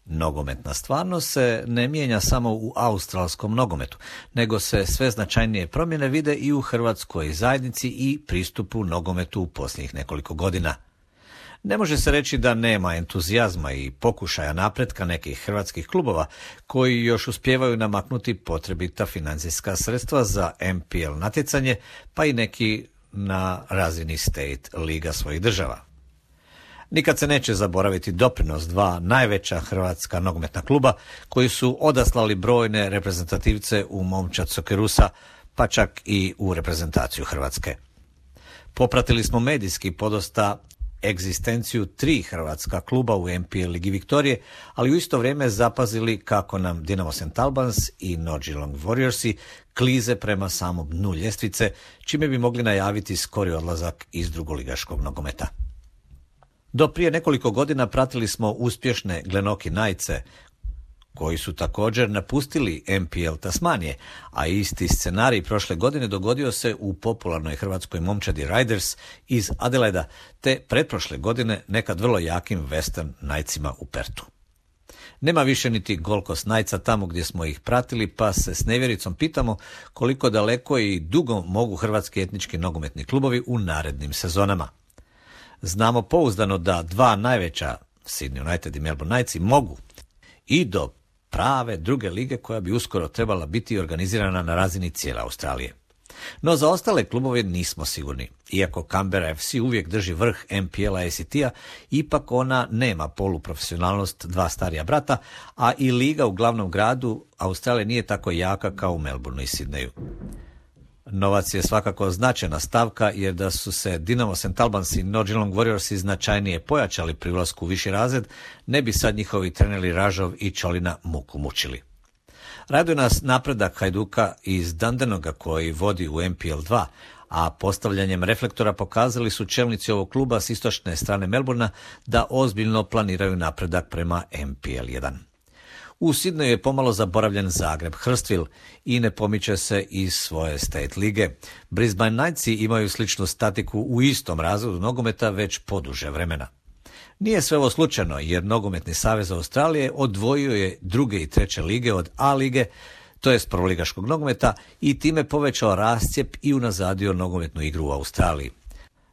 Nogometna stvarnost se ne mijenja samo u australskom nogometu, nego se sve značajnije promjene vide i u hrvatskoj zajednici i pristupu nogometu u posljednjih nekoliko godina. Ne može se reći da nema entuzijazma i pokušaja napretka nekih hrvatskih klubova koji još uspijevaju namaknuti potrebita financijska sredstva za MPL natjecanje, pa i neki na razini state liga svojih država. Nikad se neće zaboraviti doprinos dva najveća hrvatska nogometna kluba koji su odaslali brojne reprezentativce u momčad Sokerusa, pa čak i u reprezentaciju Hrvatske. Popratili smo medijski podosta egzistenciju 3 hrvatska kluba u MPL Ligi Viktorije, ali u isto vrijeme zapazili kako nam Dinamo St. Albans i Nordjylland Warriorsi klize prema samom dnu ljestvice, čime bi mogli najaviti skori odlazak iz drugoligaškog nogometa. Do prije nekoliko godina pratili smo uspješne Glenorchy Knightse, koji su također napustili MPL Tasmanije, a isti scenarij prošle godine dogodio se u popularnoj hrvatskoj momčadi Riders iz Adelaida, te pretprošle godine nekad vrlo jakim Western Knightsima u Pertu. Nema više niti Gold Coast Knightsa tamo gdje smo ih pratili, pa se s nevjericom pitamo koliko daleko i dugo mogu hrvatski etnički nogometni klubovi u narednim sezonama. Znamo pouzdano da dva najveća, Sydney United i Melbourne Knightsi, mogu i do prave druge lige koja bi uskoro trebala biti organizirana na razini cijele Australije. No za ostale klubove nismo sigurni. Iako Canberra FC uvijek drži vrh MPL-a ACT-a, ipak ona nema poluprofesionalnost dva starija brata, a i liga u glavnom gradu Australije nije tako jaka kao u Melbourneu i Sydneyu. Novac je svakako značajna stavka, jer da su se Dinamo St. Albans i Nordjylland Warriorsi značajnije pojačali pri ulasku u viši razred, ne bi sad njihovi treneri Ražov i Čolina muku mučili. Raduje nas napredak Hajduka iz Dundenoga koji vodi u MPL 2, a postavljanjem reflektora pokazali su čelnici ovog kluba s istočne strane Melbourna da ozbiljno planiraju napredak prema MPL 1. U Sydneyu je pomalo zaboravljen Zagreb Hurstville i ne pomiče se iz svoje state lige. Brisbane Knightsi imaju sličnu statiku u istom razredu nogometa već poduže vremena. Nije sve ovo slučajno, jer Nogometni savez Australije odvojio je druge i treće lige od A lige, to jest prvoligaškog nogometa, i time povećao rascijep i unazadio nogometnu igru u Australiji.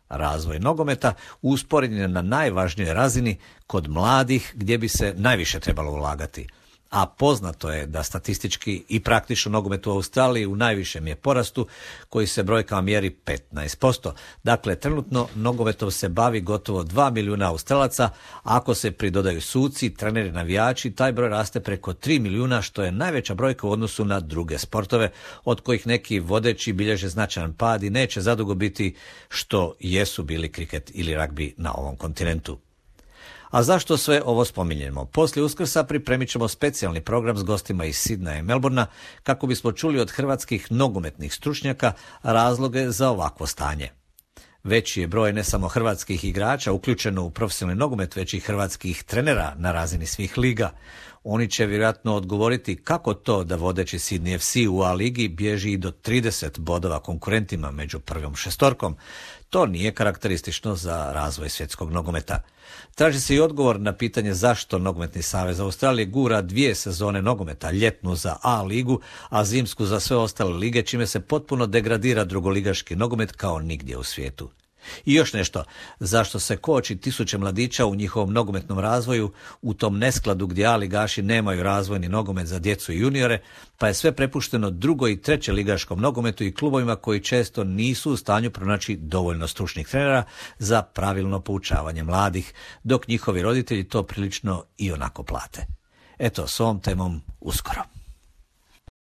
Razvoj nogometa usporen je na najvažnijoj razini kod mladih, gdje bi se najviše trebalo ulagati. A poznato je da statistički i praktično nogomet u Australiji u najvišem je porastu, koji se brojkama mjeri 15%. Dakle, trenutno nogometom se bavi gotovo 2 milijuna Australaca, a ako se pridodaju suci, treneri, navijači, taj broj raste preko 3 milijuna, što je najveća brojka u odnosu na druge sportove, od kojih neki vodeći bilježe značajan pad i neće zadugo biti što jesu bili kriket ili ragbi na ovom kontinentu. A zašto sve ovo spominjemo? Poslije Uskrsa pripremit ćemo specijalni program s gostima iz Sydneya i Melbournea kako bismo čuli od hrvatskih nogometnih stručnjaka razloge za ovakvo stanje. Veći je broj ne samo hrvatskih igrača uključeno u profesionalni nogomet, već i hrvatskih trenera na razini svih liga. Oni će vjerojatno odgovoriti kako to da vodeći Sydney FC u A ligi bježi i do 30 bodova konkurentima među prvom šestorkom. To nije karakteristično za razvoj svjetskog nogometa. Traži se i odgovor na pitanje zašto Nogometni savez Australije gura 2 sezone nogometa, ljetnu za A ligu, a zimsku za sve ostale lige, čime se potpuno degradira drugoligaški nogomet kao nigdje u svijetu. I još nešto, zašto se koči tisuće mladića u njihovom nogometnom razvoju u tom neskladu gdje A ligaši nemaju razvojni nogomet za djecu i juniore, pa je sve prepušteno drugo i treće ligaškom nogometu i klubovima koji često nisu u stanju pronaći dovoljno stručnih trenera za pravilno poučavanje mladih, dok njihovi roditelji to prilično i onako plate. Eto, s ovom temom uskoro.